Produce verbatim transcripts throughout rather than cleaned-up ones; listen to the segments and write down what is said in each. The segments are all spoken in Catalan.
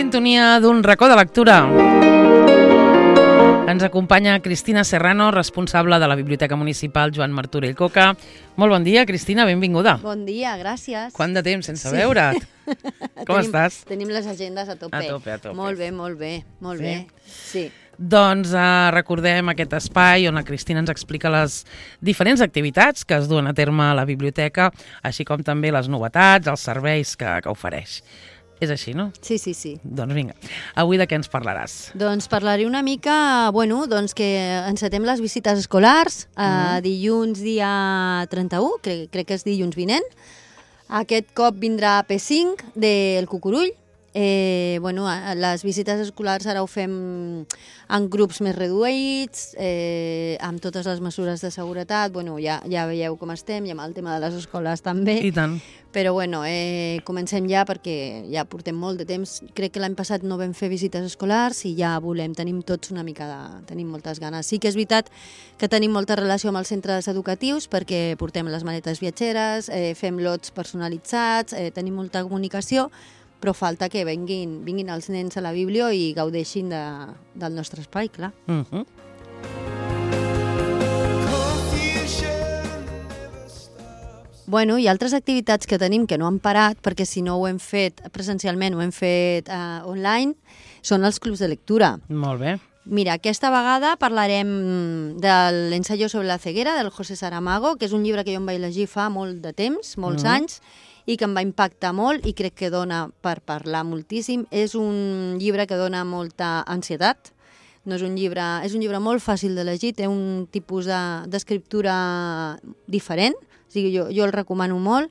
sintonia d'un racó de lectura. Ens acompanya Cristina Serrano, responsable de la Biblioteca Municipal Joan Martorell Coca. Molt bon dia, Cristina, benvinguda. Bon dia, gràcies. Quant de temps sense sí. veure't? Com tenim, estàs? Tenim les agendes a tope. A tope, a tope. Molt bé, molt bé, molt sí. bé. Sí. Doncs uh, recordem aquest espai on la Cristina ens explica les diferents activitats que es duen a terme a la biblioteca, així com també les novetats, els serveis que, que ofereix. És així, no? Sí, sí, sí. Doncs vinga, avui de què ens parlaràs? Doncs parlaré una mica, bueno, doncs que encetem les visites escolars, mm. eh, dilluns dia trenta-u, crec, crec que és dilluns vinent. Aquest cop vindrà P cinc del Cucurull. Eh, bueno, les visites escolars ara ho fem en grups més reduïts, eh, amb totes les mesures de seguretat. Bueno, ja, ja veieu com estem, i amb el tema de les escoles també. I tant. Però bueno, eh, comencem ja perquè ja portem molt de temps. Crec que l'any passat no vam fer visites escolars i ja volem, tenim tots una mica de... tenim moltes ganes. Sí que és veritat que tenim molta relació amb els centres educatius perquè portem les maletes viatgeres, eh, fem lots personalitzats, eh, tenim molta comunicació, però falta que venguin, vinguin els nens a la biblio i gaudeixin de, del nostre espai, clar. Uh-huh. Bueno, hi ha altres activitats que tenim que no han parat, perquè si no ho hem fet presencialment, ho hem fet uh, online, són els clubs de lectura. Molt bé. Mira, aquesta vegada parlarem de l'ensayo sobre la ceguera, del José Saramago, que és un llibre que jo em vaig llegir fa molt de temps, molts mm. anys, i que em va impactar molt i crec que dona per parlar moltíssim. És un llibre que dona molta ansietat. No és un llibre, és un llibre molt fàcil de llegir, té un tipus d'escriptura diferent, o sigui, jo, jo el recomano molt.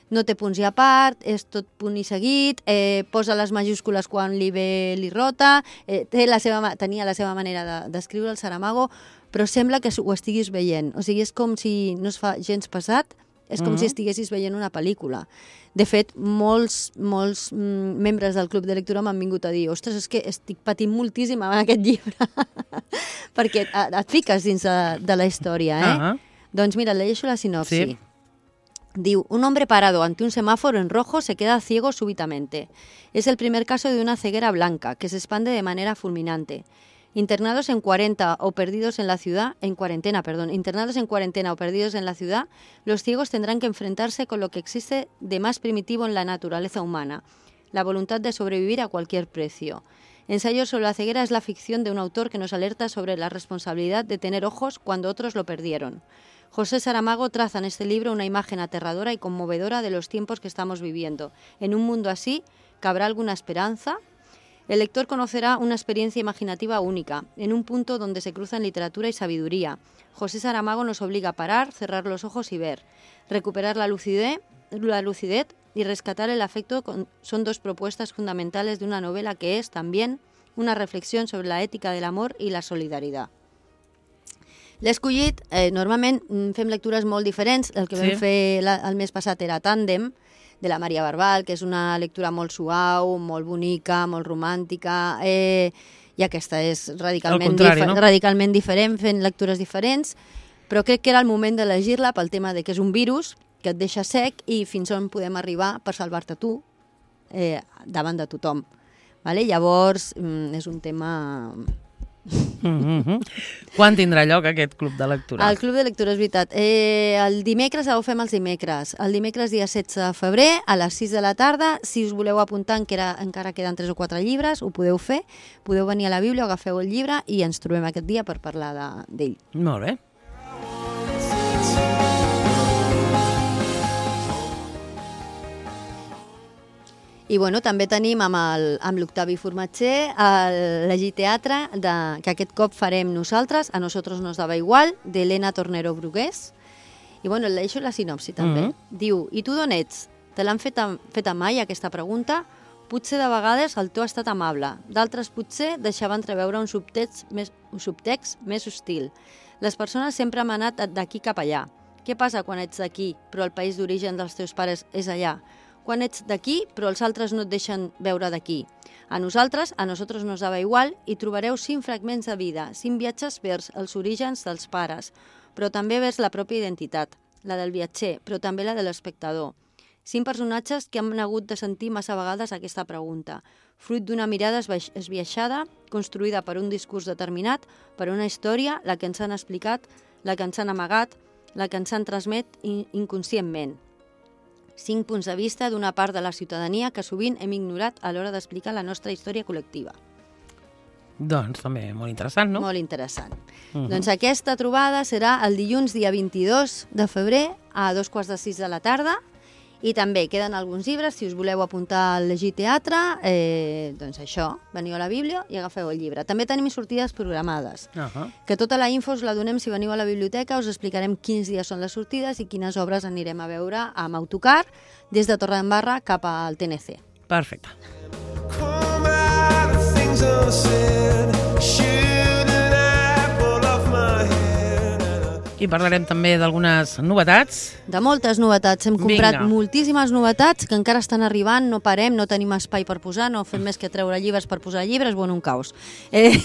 No té punts i a part, és tot punt i seguit, eh, posa les majúscules quan li ve li rota, eh, té la seva, tenia la seva manera d'escriure de, el Saramago, però sembla que ho estiguis veient. O sigui, és com si no es fa gens pesat, és com uh-huh. si estiguessis veient una pel·lícula. De fet, molts, molts mm, membres del club de lectura m'han vingut a dir ostres, és que estic patint moltíssim amb aquest llibre, perquè et, et fiques dins de, de la història, eh? Uh-huh. Doncs mira, llegeixo la sinopsi. Sí. Diu, un hombre parado ante un semáforo en rojo se queda ciego súbitamente. Es el primer caso de una ceguera blanca que se expande de manera fulminante. Internados en cuarenta o perdidos en la ciudad, en cuarentena, perdón, internados en cuarentena o perdidos en la ciudad, los ciegos tendrán que enfrentarse con lo que existe de más primitivo en la naturaleza humana, la voluntad de sobrevivir a cualquier precio. Ensayo sobre la ceguera es la ficción de un autor que nos alerta sobre la responsabilidad de tener ojos cuando otros lo perdieron. José Saramago traza en este libro una imagen aterradora y conmovedora de los tiempos que estamos viviendo. En un mundo así, ¿cabrá alguna esperanza? El lector conocerá una experiencia imaginativa única, en un punto donde se cruzan literatura y sabiduría. José Saramago nos obliga a parar, cerrar los ojos y ver. Recuperar la lucidez, la lucidez y rescatar el afecto con, son dos propuestas fundamentales de una novela que es, también, una reflexión sobre la ética del amor i la solidaritat. L'he escollit, eh, normalment fem lectures molt diferents, el que sí. vam fer la, el mes passat era Tàndem, de la Maria Barbal, que és una lectura molt suau, molt bonica, molt romàntica, eh, i aquesta és radicalment, contrari, dif no? radicalment diferent, fent lectures diferents, però crec que era el moment de llegir-la pel tema de que és un virus que et deixa sec i fins on podem arribar per salvar-te tu eh, davant de tothom. Vale? Llavors, mm, és un tema... Mm-hmm. Quan tindrà lloc aquest club de lectura? El club de lectura, és veritat. Eh, el dimecres, ho fem els dimecres. El dimecres dia setze de febrer, a les sis de la tarda. Si us voleu apuntar, encara, encara queden tres o quatre llibres, ho podeu fer. Podeu venir a la Bíblia, agafeu el llibre i ens trobem aquest dia per parlar d'ell. Molt bé. I bueno, també tenim amb l'Octavi Formatger el Llegir Teatre, de, que aquest cop farem nosaltres, A nosotros nos daba igual, d'Helena Tornero Brugués. I bueno, el deixo la sinopsi també. Mm-hmm. Diu, i tu d'on ets? Te l'han fet, fet mai aquesta pregunta? Potser de vegades el to ha estat amable, d'altres potser deixava entreveure un subtext més, un subtext més hostil. Les persones sempre han anat d'aquí cap allà. Què passa quan ets d'aquí, però el país d'origen dels teus pares és allà? Quan ets d'aquí, però els altres no et deixen veure d'aquí. A nosaltres, a nosotros nos daba igual, i trobareu cinc fragments de vida, cinc viatges vers els orígens dels pares, però també vers la pròpia identitat, la del viatger, però també la de l'espectador. Cinc personatges que han hagut de sentir massa vegades aquesta pregunta, fruit d'una mirada esbiaixada, construïda per un discurs determinat, per una història, la que ens han explicat, la que ens han amagat, la que ens han transmet inconscientment. Cinc punts de vista d'una part de la ciutadania que sovint hem ignorat a l'hora d'explicar la nostra història col·lectiva. Doncs també molt interessant, no? Molt interessant. Uh -huh. Doncs aquesta trobada serà el dilluns dia vint-i-dos de febrer a dos quarts de sis de la tarda i també queden alguns llibres, si us voleu apuntar al llegir teatre, eh, doncs això, veniu a la Bíblia i agafeu el llibre. També tenim sortides programades, uh -huh. que tota la info us la donem si veniu a la biblioteca, us explicarem quins dies són les sortides i quines obres anirem a veure amb autocar des de Torredembarra cap al T N C. Perfecte. I parlarem també d'algunes novetats. De moltes novetats. Hem comprat Vinga. moltíssimes novetats que encara estan arribant, no parem, no tenim espai per posar, no fem més que treure llibres per posar llibres, bueno, un caos. Eh...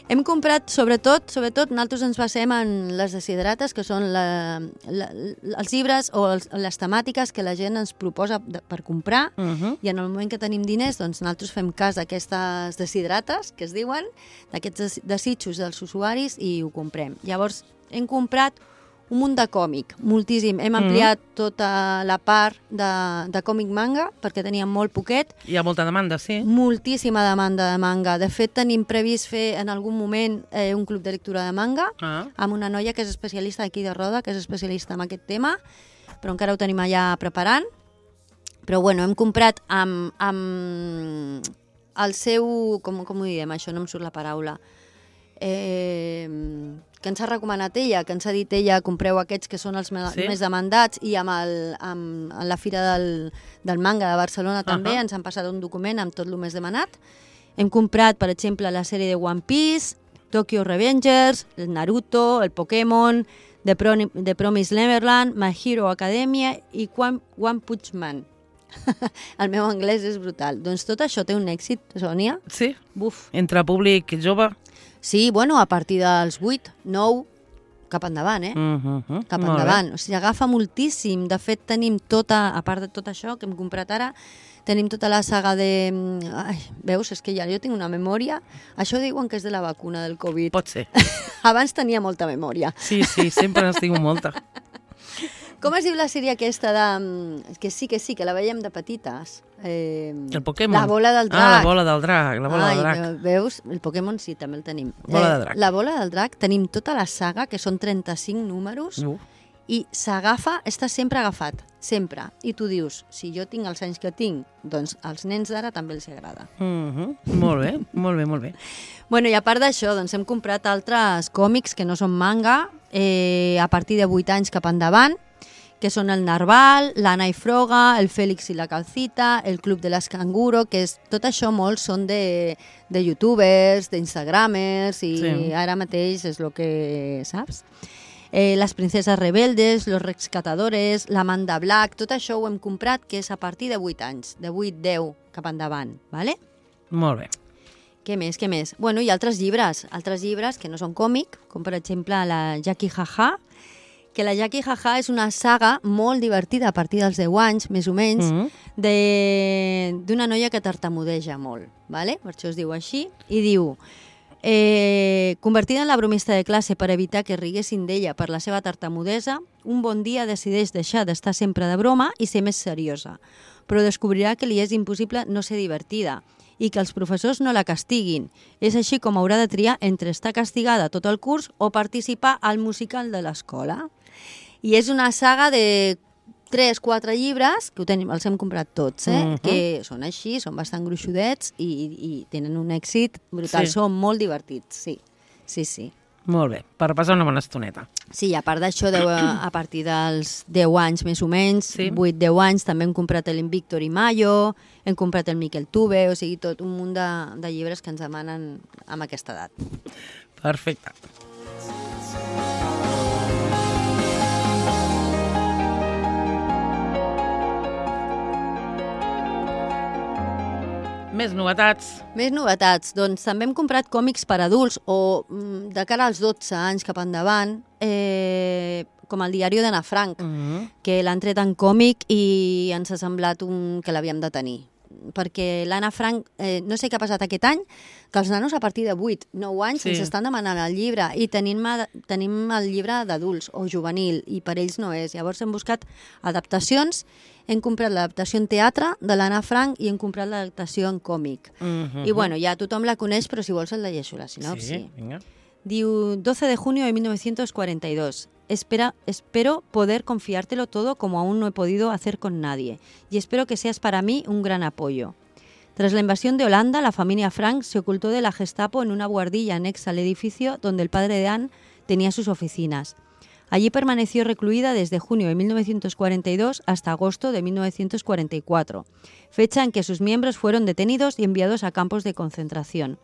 Hem comprat, sobretot, sobretot, nosaltres ens basem en les desidrates, que són la, la, els llibres o els, les temàtiques que la gent ens proposa de, per comprar, uh -huh. i en el moment que tenim diners, doncs nosaltres fem cas d'aquestes desidrates, que es diuen, d'aquests desitjos dels usuaris, i ho comprem. Llavors, hem comprat un munt de còmic, moltíssim. Hem ampliat mm. tota la part de, de còmic manga, perquè teníem molt poquet. Hi ha molta demanda, sí. Moltíssima demanda de manga. De fet, tenim previst fer en algun moment eh, un club de lectura de manga ah. amb una noia que és especialista aquí de Roda, que és especialista en aquest tema, però encara ho tenim allà preparant. Però bueno, hem comprat amb, amb el seu... Com, com ho diem, això? No em surt la paraula. Eh... que ens ha recomanat ella, que ens ha dit ella, compreu aquests que són els sí? més demandats, i amb, el, amb, amb la Fira del, del Manga de Barcelona també uh -huh. ens han passat un document amb tot el més demanat. Hem comprat, per exemple, la sèrie de One Piece, Tokyo Revengers, el Naruto, el Pokémon, The, Pro, The Promised Neverland, My Hero Academia i One, One Punch Man. El meu anglès és brutal. Doncs tot això té un èxit, Sònia. Sí? Buf. Entre públic jove? Sí, bueno, a partir dels vuit, nou, cap endavant, eh? Uh -huh. Cap endavant. O sigui, agafa moltíssim. De fet, tenim tota, a part de tot això que hem comprat ara, tenim tota la saga de... Ai, veus, és que ja jo tinc una memòria. Això diuen que és de la vacuna del Covid. Pot ser. Abans tenia molta memòria. Sí, sí, sempre n'has tingut molta. Com es diu la sèrie aquesta de... Que sí, que sí, que la veiem de petites. Eh, el Pokémon. La bola del drac. Ah, la bola del drac. La bola Ai, del drac. Veus? El Pokémon sí, també el tenim. Bola del drac. Eh, la bola del drac, tenim tota la saga, que són trenta-cinc números, uh. i s'agafa, està sempre agafat, sempre. I tu dius, si jo tinc els anys que tinc, doncs als nens d'ara també els agrada. Uh -huh. Molt bé, molt bé, molt bé. Bueno, i a part d'això, doncs hem comprat altres còmics que no són manga, eh, a partir de vuit anys cap endavant, que són el Narval, l'Anna i Froga, el Fèlix i la Calcita, el Club de les Canguro, que és, tot això molts són de, de youtubers, d'instagramers, i sí. Ara mateix és el que saps. Eh, les Princeses Rebeldes, Los Rescatadores, l'Amanda Black, tot això ho hem comprat, que és a partir de vuit anys, de vuit deu cap endavant, ¿vale? Molt bé. Què més, què més? Bueno, i altres llibres, altres llibres que no són còmic, com per exemple la Jackie Jaja, que la Jackie Jaja és una saga molt divertida a partir dels deu anys, més o menys, mm -hmm. d'una noia que tartamudeja molt, ¿vale? Per això es diu així, i diu... Eh, convertida en la bromista de classe per evitar que riguessin d'ella per la seva tartamudesa, un bon dia decideix deixar d'estar sempre de broma i ser més seriosa, però descobrirà que li és impossible no ser divertida i que els professors no la castiguin. És així com haurà de triar entre estar castigada tot el curs o participar al musical de l'escola. I és una saga de tres, quatre llibres, que ho tenim, els hem comprat tots, eh? Uh-huh. Que són així, són bastant gruixudets i, i tenen un èxit brutal. Sí. Són molt divertits, sí. Sí, sí. Molt bé, per passar una bona estoneta. Sí, a part d'això, a partir dels deu anys més o menys, sí. vuit deu anys, també hem comprat l'Invictor i Mayo, hem comprat el Miquel Tuve, o sigui, tot un munt de, de llibres que ens demanen amb aquesta edat. Perfecte. Més novetats. Més novetats. Doncs també hem comprat còmics per adults o de cara als dotze anys cap endavant. Eh, com el diari d'Anna Frank, Uh -huh. que l'han tret en còmic i ens ha semblat un... que l'havíem de tenir. Perquè l'Anna Frank, eh, no sé què ha passat aquest any, que els nanos a partir de vuit, nou anys Sí. ens estan demanant el llibre i tenim, tenim el llibre d'adults o juvenil i per ells no és. Llavors hem buscat adaptacions, hem comprat l'adaptació en teatre de l'Anna Frank i hem comprat l'adaptació en còmic. Uh -huh. I bueno, ja tothom la coneix, però si vols el llegeixo la sinopsi. Sí, vinga. Diu, doce de junio de mil novecientos cuarenta y dos. Espera, espero poder confiártelo todo como aún no he podido hacer con nadie. Y espero que seas para mí un gran apoyo. Tras la invasión de Holanda, la familia Frank se ocultó de la Gestapo en una buhardilla anexa al edificio donde el padre de Anne tenía sus oficinas. Allí permaneció recluida desde junio de mil novecientos cuarenta y dos hasta agosto de mil novecientos cuarenta y cuatro, fecha en que sus miembros fueron detenidos y enviados a campos de concentración.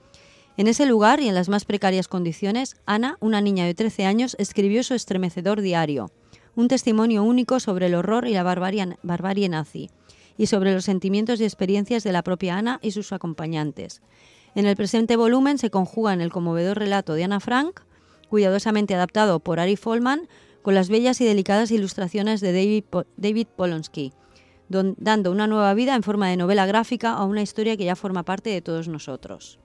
En ese lugar y en las más precarias condiciones, Ana, una niña de trece años, escribió su estremecedor diario, un testimonio único sobre el horror y la barbarie, barbarie nazi, y sobre los sentimientos y experiencias de la propia Ana y sus acompañantes. En el presente volumen se conjugan el conmovedor relato de Anna Frank, cuidadosamente adaptado por Ari Folman, con las bellas y delicadas ilustraciones de David, po David Polonsky, don dando una nueva vida en forma de novela gráfica a una historia que ya forma parte de todos nosotros.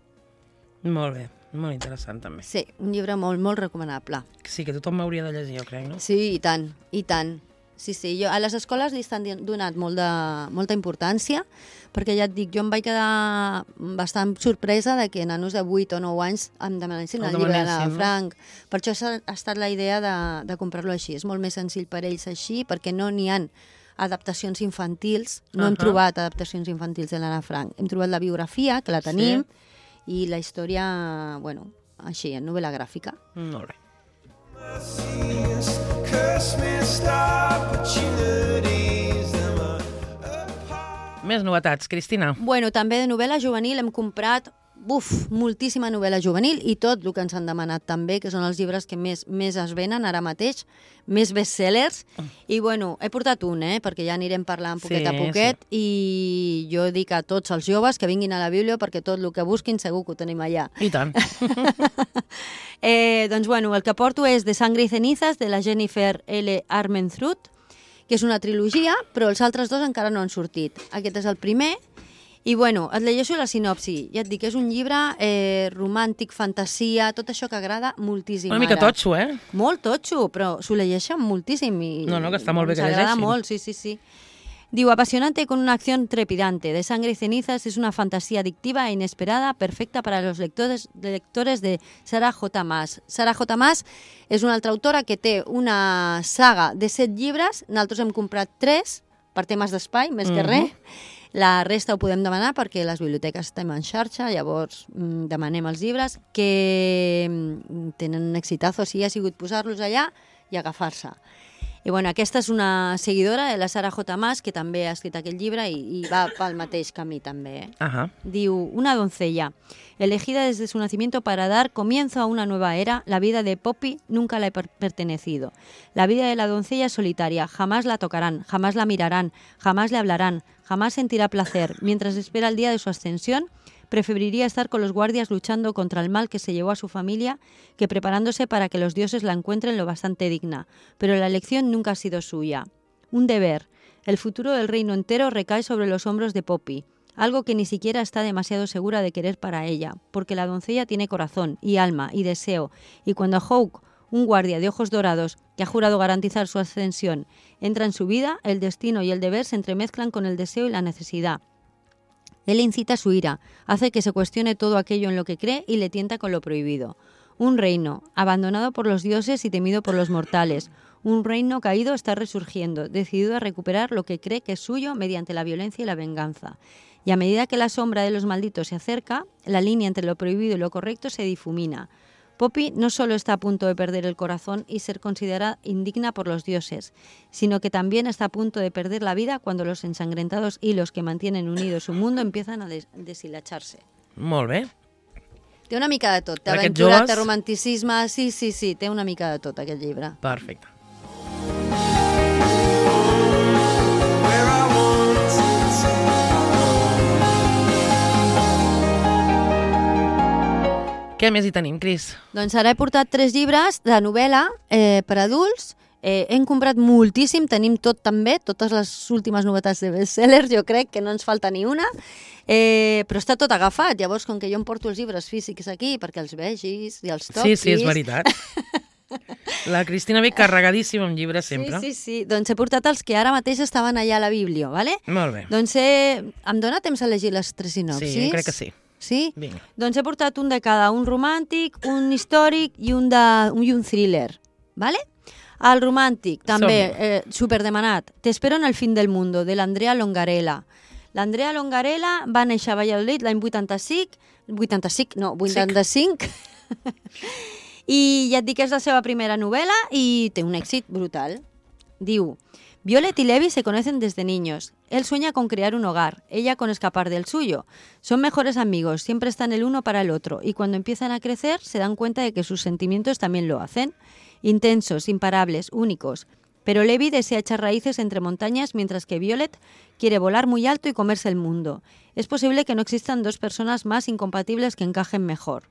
Molt bé, molt interessant també. Sí, un llibre molt, molt recomanable. Sí, que tothom m'hauria de llegir, jo crec, no? Sí, i tant, i tant. Sí, sí, jo, a les escoles li estan donat molt de, molta importància, perquè ja et dic, jo em vaig quedar bastant sorpresa de que nanos de vuit o nou anys em demanessin el, el llibre de Frank. Per això ha estat la idea de, de comprar-lo així. És molt més senzill per ells així, perquè no n'hi ha adaptacions infantils, no uh -huh. hem trobat adaptacions infantils de l'Anna Frank. Hem trobat la biografia, que la tenim, sí. I la història, bueno, així, en novel·la gràfica. Molt bé. Més novetats, Cristina. Bueno, també de novel·la juvenil hem comprat buf, moltíssima novel·la juvenil i tot el que ens han demanat també, que són els llibres que més, més es venen ara mateix, més bestsellers. I bueno, he portat un, eh, perquè ja anirem parlant poquet sí, a poquet sí. I jo dic a tots els joves que vinguin a la Bíblia perquè tot el que busquin segur que ho tenim allà. I tant. eh, doncs bueno, el que porto és De sangre y cenizas, de la Jennifer L. Armentrout, que és una trilogia, però els altres dos encara no han sortit. Aquest és el primer. I bueno, et llegeixo la sinopsi. Ja et dic, és un llibre eh, romàntic, fantasia, tot això que agrada moltíssim. Una mica ara. totxo, eh? Molt totxo, però s'ho llegeixen moltíssim. I, no, no, que està molt bé que llegeixin. S'agrada molt, sí, sí, sí. Diu, apasionante con una acción trepidante. De sangre y cenizas es una fantasía adictiva e inesperada, perfecta para los lectores, lectores de Sarah J. Maas. Sarah J. Maas és una altra autora que té una saga de set llibres. Nosaltres hem comprat tres per temes d'espai, més que uh -huh. res. La resta ho podem demanar perquè les biblioteques estem en xarxa, llavors mmm, demanem els llibres que mmm, tenen un exitazo, o sigui, ha sigut posar-los allà i agafar-se. I bueno, aquesta és una seguidora de la Sarah J. Maas, que també ha escrit aquest llibre i, i va pel mateix camí també. Eh? Ajá. Diu, una doncella, elegida desde su nacimiento para dar comienzo a una nueva era, la vida de Poppy nunca le ha per pertenecido. La vida de la doncella es solitaria, jamás la tocarán, jamás la mirarán, jamás le hablarán, jamás sentirá placer. Mientras espera el día de su ascensión, preferiría estar con los guardias luchando contra el mal que se llevó a su familia que preparándose para que los dioses la encuentren lo bastante digna. Pero la elección nunca ha sido suya. Un deber. El futuro del reino entero recae sobre los hombros de Poppy, algo que ni siquiera está demasiado segura de querer para ella, porque la doncella tiene corazón y alma y deseo, y cuando Hawk, un guardia de ojos dorados que ha jurado garantizar su ascensión, entra en su vida, el destino y el deber se entremezclan con el deseo y la necesidad. Él incita su ira, hace que se cuestione todo aquello en lo que cree y le tienta con lo prohibido. Un reino, abandonado por los dioses y temido por los mortales. Un reino caído está resurgiendo, decidido a recuperar lo que cree que es suyo mediante la violencia y la venganza. Y a medida que la sombra de los malditos se acerca, la línea entre lo prohibido y lo correcto se difumina. Poppy no solo está a punto de perder el corazón y ser considerada indigna por los dioses, sino que también está a punto de perder la vida cuando los ensangrentados hilos que mantienen unido su mundo empiezan a des deshilacharse. Molt bé. Té una mica de tot. Té aventura, joves... té romanticisme... Sí, sí, sí, té una mica de tot, aquest llibre. Perfecte. Què més hi tenim, Cris? Doncs ara he portat tres llibres de novel·la eh, per adults. Eh, hem comprat moltíssim, tenim tot també, totes les últimes novetats de bestsellers, jo crec que no ens falta ni una, eh, però està tot agafat. Llavors, com que jo em porto els llibres físics aquí perquè els vegis i els toquis... Sí, sí, és veritat. La Cristina ve carregadíssima amb llibres sempre. Sí, sí, sí. Doncs he portat els que ara mateix estaven allà a la Bíblia, ¿vale? Molt bé. Doncs he... em dona temps a llegir les tres sinopsis? Sí, crec que sí. Sí? Vinga. Doncs he portat un de cada, un romàntic, un històric i un, de, un, i un thriller, ¿vale? El romàntic, també, eh, superdemanat. Te espero en el fin del mundo, de l'Andrea Longarella. L'Andrea Longarella va néixer a Valladolid l'any vuitanta-cinc, vuitanta-cinc, no, vuitanta-cinc, i ja et dic que és la seva primera novel·la i té un èxit brutal. Diu, Violet y Levi se conocen desde niños. Él sueña con crear un hogar, ella con escapar del suyo. Son mejores amigos, siempre están el uno para el otro, y cuando empiezan a crecer se dan cuenta de que sus sentimientos también lo hacen. Intensos, imparables, únicos. Pero Levi desea echar raíces entre montañas, mientras que Violet quiere volar muy alto y comerse el mundo. Es posible que no existan dos personas más incompatibles que encajen mejor.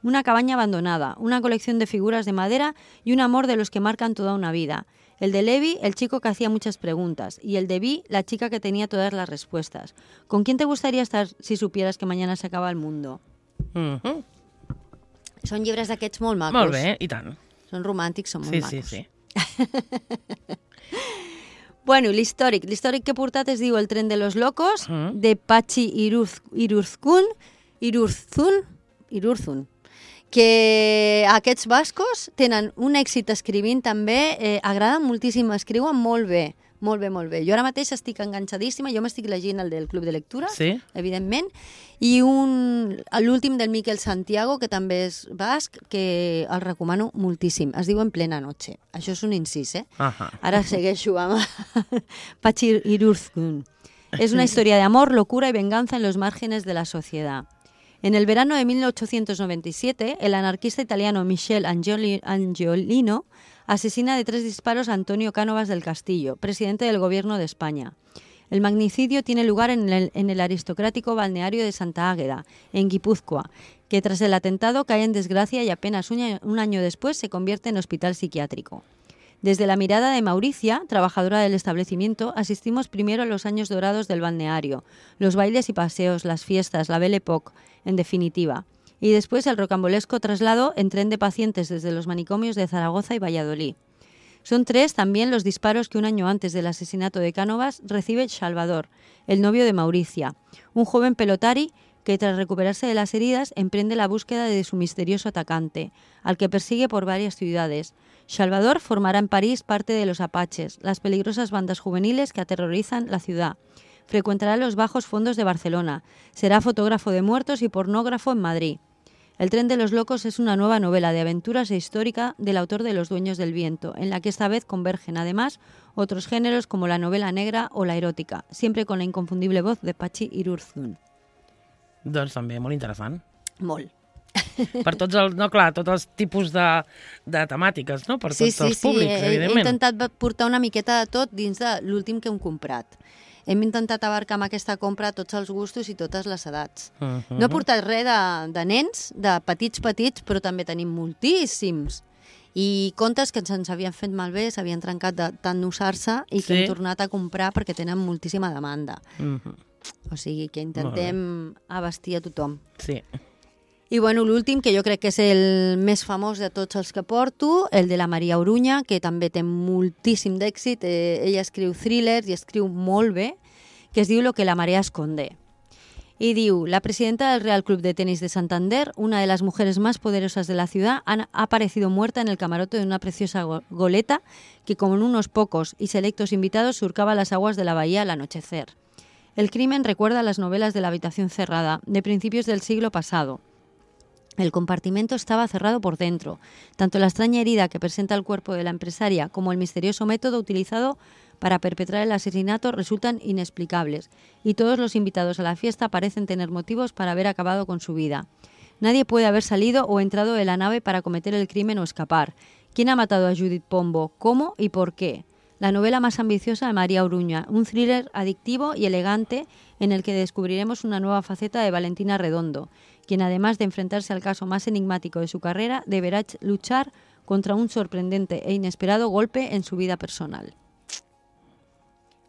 Una cabaña abandonada, una colección de figuras de madera y un amor de los que marcan toda una vida. El de Levi, el chico que hacía muchas preguntas, y el de Vi, la chica que tenía todas las respuestas. ¿Con quién te gustaría estar si supieras que mañana se acaba el mundo? Uh-huh. Són llibres d'aquests molt macos. Molt bé, i tant. Són romàntics, són molt Sí, macos. sí, sí. Bueno, l'històric. L'històric que he portat es diu El tren de los locos, Mm. de Patxi Iruz, Irurzun, Irurzun, Irurzun, que aquests bascos tenen un èxit escrivint també, eh, agraden moltíssim, escriuen molt bé, molt bé, molt bé. Jo ara mateix estic enganxadíssima, jo m'estic llegint el del Club de Lectura, Sí? evidentment, i un, l'últim del Miquel Santiago, que també és basc, que el recomano moltíssim. Es diu En plena noche. Això és un incís, eh? Ajá. Ahora segueixo amb Patxi Irurzun. Es una historia de amor, locura y venganza en los márgenes de la sociedad. En el verano de mil ochocientos noventa y siete, el anarquista italiano Michel Angioli- Angiolino asesina de tres disparos a Antonio Cánovas del Castillo, presidente del gobierno de España. El magnicidio tiene lugar en el, en el aristocrático balneario de Santa Águeda, en Guipúzcoa, que tras el atentado cae en desgracia y apenas un año, un año después se convierte en hospital psiquiátrico. Desde la mirada de Mauricia, trabajadora del establecimiento, asistimos primero a los años dorados del balneario, los bailes y paseos, las fiestas, la Belle Époque, en definitiva, y después el rocambolesco traslado en tren de pacientes desde los manicomios de Zaragoza y Valladolid. Son tres también los disparos que un año antes del asesinato de Cánovas recibe Salvador, el novio de Mauricia, un joven pelotari que tras recuperarse de las heridas emprende la búsqueda de su misterioso atacante, al que persigue por varias ciudades. Salvador formará en París parte de los Apaches, las peligrosas bandas juveniles que aterrorizan la ciudad. Frecuentará los bajos fondos de Barcelona, será fotógrafo de muertos y pornógrafo en Madrid. El tren de los locos es una nueva novela de aventuras e histórica del autor de Los dueños del viento, en la que esta vez convergen además otros géneros como la novela negra o la erótica, siempre con la inconfundible voz de Patxi Irurzun. Doncs també, molt interessant. Molt. Per tots els, no, clar, tots els tipus de, de temàtiques, no? Per Sí, tots sí, els sí, públics, he, he evidentment. intentat portar una miqueta de tot dins de l'últim que hem comprat. Hem intentat abarcar amb aquesta compra tots els gustos i totes les edats. Uh -huh. No he portat res de, de nens, de petits petits, però també tenim moltíssims. I contes que se'ns havien fet malbé, s'havien trencat de tant d'usar-se i que Sí. hem tornat a comprar perquè tenen moltíssima demanda. Uh -huh. O sigui que intentem abastir a tothom. Sí. I bueno, l'últim, que jo crec que és el més famós de tots els que porto, el de la Maria Oruña, que també té moltíssim d'èxit. Eh, ella escriu thrillers i escriu molt bé, que es diu Lo que la marea esconde. Y diu, la presidenta del Real Club de Tenis de Santander, una de las mujeres más poderosas de la ciudad, ha aparecido muerta en el camarote de una preciosa go- goleta que con unos pocos y selectos invitados surcaba las aguas de la bahía al anochecer. El crimen recuerda las novelas de La habitación cerrada, de principios del siglo pasado. El compartimento estaba cerrado por dentro. Tanto la extraña herida que presenta el cuerpo de la empresaria como el misterioso método utilizado para perpetrar el asesinato resultan inexplicables, y todos los invitados a la fiesta parecen tener motivos para haber acabado con su vida. Nadie puede haber salido o entrado de la nave para cometer el crimen o escapar. ¿Quién ha matado a Judith Pombo? ¿Cómo y por qué? La novela más ambiciosa de María Oruña, un thriller adictivo y elegante en el que descubriremos una nueva faceta de Valentina Redondo, quien además de enfrentarse al caso más enigmático de su carrera, deberá luchar contra un sorprendente e inesperado golpe en su vida personal.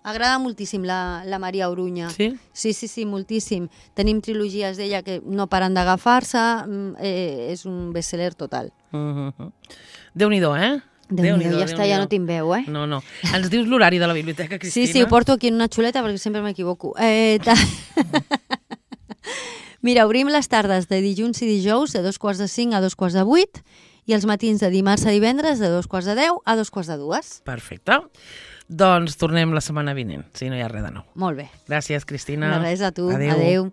Agrada moltíssim la, la Maria Oruña. Sí? Sí, sí, sí, moltíssim. Tenim trilogies d'ella que no paren d'agafar-se, eh, és un best-seller total. Uh-huh. Déu-n'hi-do, eh? Déu-n'hi-do, ja està, ja no tinc veu, eh? No, no. Ens dius l'horari de la biblioteca, Cristina? Sí, sí, ho porto aquí en una xuleta perquè sempre m'equivoco. Eh, ta... Mira, obrim les tardes de dilluns i dijous de dos quarts de cinc a dos quarts de vuit i els matins de dimarts a divendres de dos quarts de deu a dos quarts de dues. Perfecte. Doncs tornem la setmana vinent, si no hi ha res de nou. Molt bé. Gràcies, Cristina. De res a tu. Adéu. Adéu.